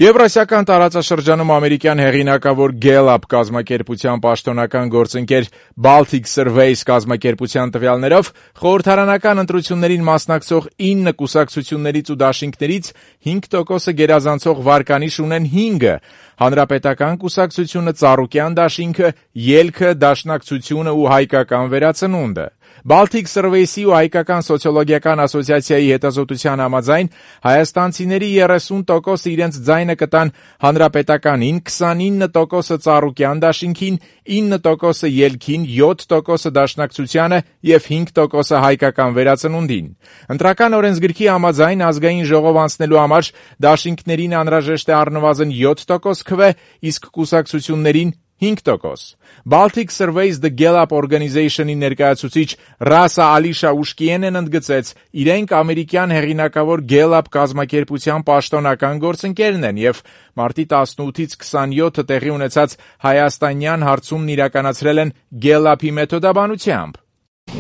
Եվրասիական տարածաշրջանում ամերիկյան հեղինակավոր Gallup կազմակերպության պաշտոնական գործընկեր Baltic Surveys կազմակերպության տվյալներով խորհրդարանական ընտրություններին մասնակցող 9 կուսակցություններից ու դաշինքներից 5%-ը գերազանցող վարկանիշ ունեն 5-ը, Հանրապետական կուսակցությունը, Ծառուկյան դաշինքը, Ելքը, Դաշնակցությունը ու Հայկական վերածնունդը։ Baltic Surveys-ի ու Հայկական սոցիոլոգիական ասոցիացիայի հետազոտության համաձայն հայաստանցիների 30%-ը իրենց ձայնը կտան Հանրապետականին, 29%-ը Ծառուկյան դաշինքին, 9%-ը Ելքին, 7%-ը Դաշնակցությանը և 5%-ը Հայկական վերածնունդին։ Ընտրական օրենսգրքի համաձայն ազգային ժողով անցնելու համար դաշինքներին անհրաժեշտ է առնվազն 7% քվե, իսկ կուսակցություններին 5%։ Baltic Surveys The Gallup Organization-ի ներկայացուցիչ Ռասա Ալիշա Ուշկիենեն ընդգծեց, իրենք ամերիկյան հեղինակավոր Gallup կազմակերպության պաշտոնական գործընկերն են և մարտի 18-ից 27-ը տեղի ունեցած հայաստանյան հարցումն իրականացրել են Gallup-ի մեթոդաբանությամբ։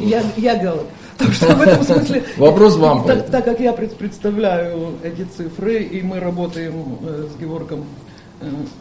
Я Gallup. Так что в этом смысле... Вопрос вам. Так как я представляю эти цифры, и мы работаем с Геворгом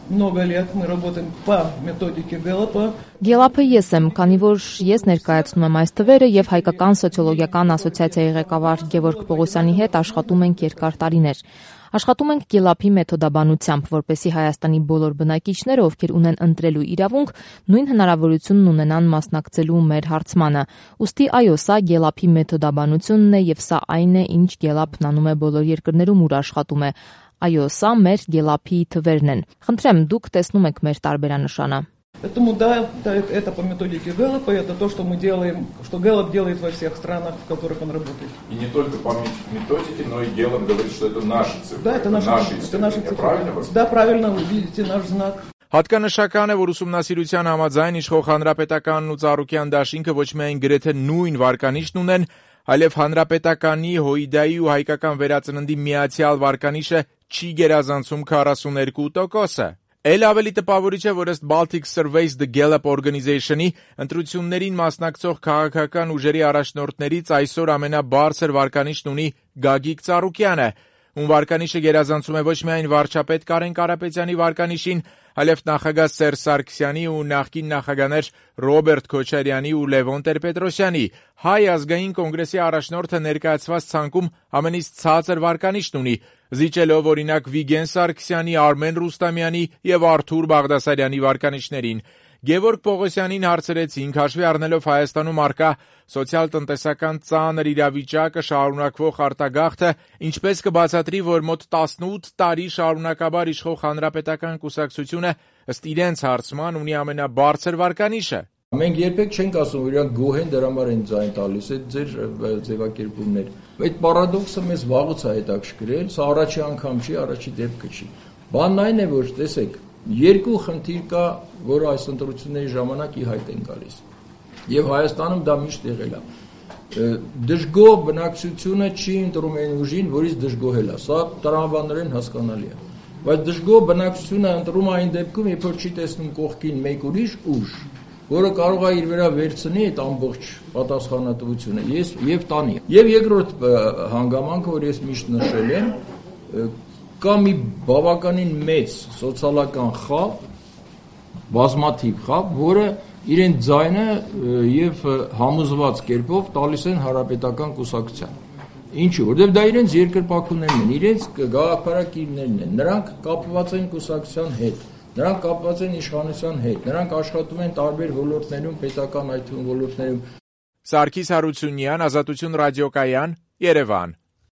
много лет, мы работаем по методике Gallup-a. Gallup-ը ես եմ, քանի որ ես ներկայացնում եմ այս թվերը եւ Հայկական սոցիոլոգիական ասոցիացիայի ղեկավար Գևորգ Պողոսյանի հետ աշխատում ենք երկար տարիներ։ Աշխատում ենք Gallup-ի մեթոդաբանությամբ, որպեսզի Հայաստանի բոլոր բնակիչները, ովքեր ունեն ընտրելու իրավունք, նույն հնարավորությունն ունենան մասնակցելու մեր հարցմանը։ Ուստի այո, սա Gallup-ի մեթոդաբանությունն է եւ սա այն է, ինչ Gallup-ն անում է բոլոր երկրներում, ուր աշխատում է։ Այո, սա մեր Gallup-ի թվերն են։ Խնդրեմ, դուք տեսնում եք մեր տարբերանշանը։ Поэтому да, это по методике Gallup, это то, что мы делаем, что Gallup делает во всех странах, в которых он работает. И не только по методике, но и Gallup говорит, что это наши цифры. Да, это наши цифры. Правильно? Да, правильно, вы видите наш знак. Հատկանշական է, որ ուսումնասիրության համաձայն իշխող Հանրապետականն ու Ծառուկյան դաշինքը ոչ միայն գրեթե նույն վարկանիշն ունեն, այլև Հանրապետականի, Հույդայի ու Հայկական վերածննդի միացյալ վարկանիշը չի գերազանցում 42%-ը։ Էլ ավելի տպավորիչ է, որ ըստ Baltic Surveys The Gallup Organization-ի ընտրություններին մասնակցող քաղաքական ուժերի առաջնորդներից այսօր ամենաբարձր վարկանիշն ունի Գագիկ Ծառուկյանը, ում վարկանիշը գերազանցում է ոչ միայն վարչապետ Կարեն Կարապետյանի վարկանիշին, այլև նախագահ Սերժ Սարգսյանի ու նախկին նախագահներ Ռոբերտ Քոչարյանի ու Լևոն Տեր-Պետրոսյանի։ Հայ ազգային կոնգրեսի առաջնորդը ներկայացված ցանկում ամենից ցածր վարկանիշն ունի, զիջելով օրինակ Վիգեն Սարգսյանի, Արմեն Ռուստամյանի եւ Արթուր Բաղդասարյանի վարկանիշներին։ Գևորգ Պողոսյանին հարցրեցինք, հաշվի առնելով Հայաստանում առկա սոցիալ-տնտեսական ծանր իրավիճակը, շարունակվող արտագաղթը, ինչպես կբացատրի, որ մոտ 18 տարի շարունակաբար իշխող Հանրապետական կուսակցությունը ըստ իրենց հարցման ունի ամենաբարձր վարկանիշը։ Մենք երբեք չենք ասում, որ իրանք գոհ են, դրա համար են ձայն տալիս, այդ ձեր ձևակերպումներ։ Այդ պարադոքսը մեզ վաղուց է հետաքրքրել, սա առաջի անգամ չի, առաջի դեպքը չի։ Բանն այն է, որ տեսեք, երկու խնդիր կա, որ այս ընտրությունների ժամանակ ի հայտ են գալիս։ Եվ Հայաստանում դա միշտ եղել է։ Դժգոհ բնակչությունը չի ընտրում այն ուժին, որից դժգոհել է։ Սա տրամաբանորեն հասկանալի է։ Բայց դժգոհ բնակչությունը ընտրում է այն դեպքում, երբ որ չի տեսնում կողքին մեկ ուրիշ ուժ, որը կարող է իր վրա վերցնի այդ ամբողջ պատասխանատվությունը եւ տանի։ Եվ երկրորդ հանգամանքը, որ ես միշտ նշել եմ, կա մի բավականին մեծ սոցիալական խավ, բազմաթիվ խավ, որը իրեն ձայնը եւ համոզված կերպով տալիս են Հանրապետական կուսակցության։ Ինչու՞, որովհետեւ դա իրենց երկրպագուներն են, իրենց գաղափարակիրներն են, նրանք կապված են կուսակցության հետ, նրանք կապված են իշխանության հետ, նրանք աշխատում են տարբեր ոլորտներում, պետական այդ ոլորտներում։ Սարգիս Հարությունյան, Ազատություն ռադիոկայան, Երևան։